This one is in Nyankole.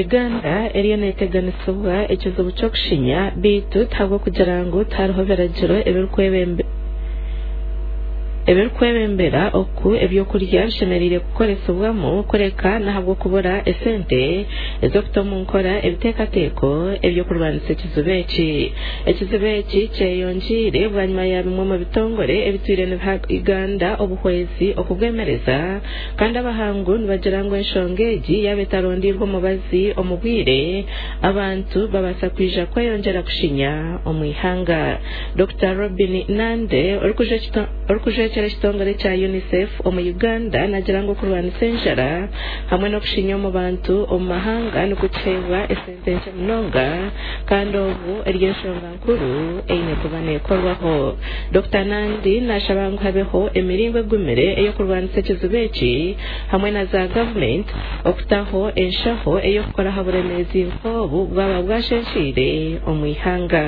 Uganda eriyo neteganisibwa ekizibu ky'okushinya beitu tihabw'okugira ngu tihariho biragiro ebirikwebembera oku ebyokurya bishemereire kukoresibwamu kureka n'ahabw'okubura esente ez'okuta omu nkora ebiteekateeko eby'okurwanisa ekizibu eki. Ekizibu eki kyeyongyeire bwanyima ya bimwe omu bitongore ebitwire nibiha Uganda obuhwezi okubwemereza kandi abahangu nibagira ngu enshonga egi yaaba etarondeirwe omubazi omu bwire abantu babaasa kwija kweyongyera kushinya omu ihanga. Dokita Robin Nande orikujwekyera ekitongore kya UNICEF omu Uganda nagira ngu okurwanisa enjara hamwe n'okushinya omu bantu omu mahanga nikukiheebwa esente nkye munonga kandi obu eri enshonga nkuru eine kuba neekorwaho. Dokita Nandi nashaba ngu habeho emiringo egumire ey'okurwanisa ekizibu eki hamwe na za gavumenti okutaho enshaho ey'okukora aha buremeezi nk'obu bwaba bwasheesheire omu ihanga.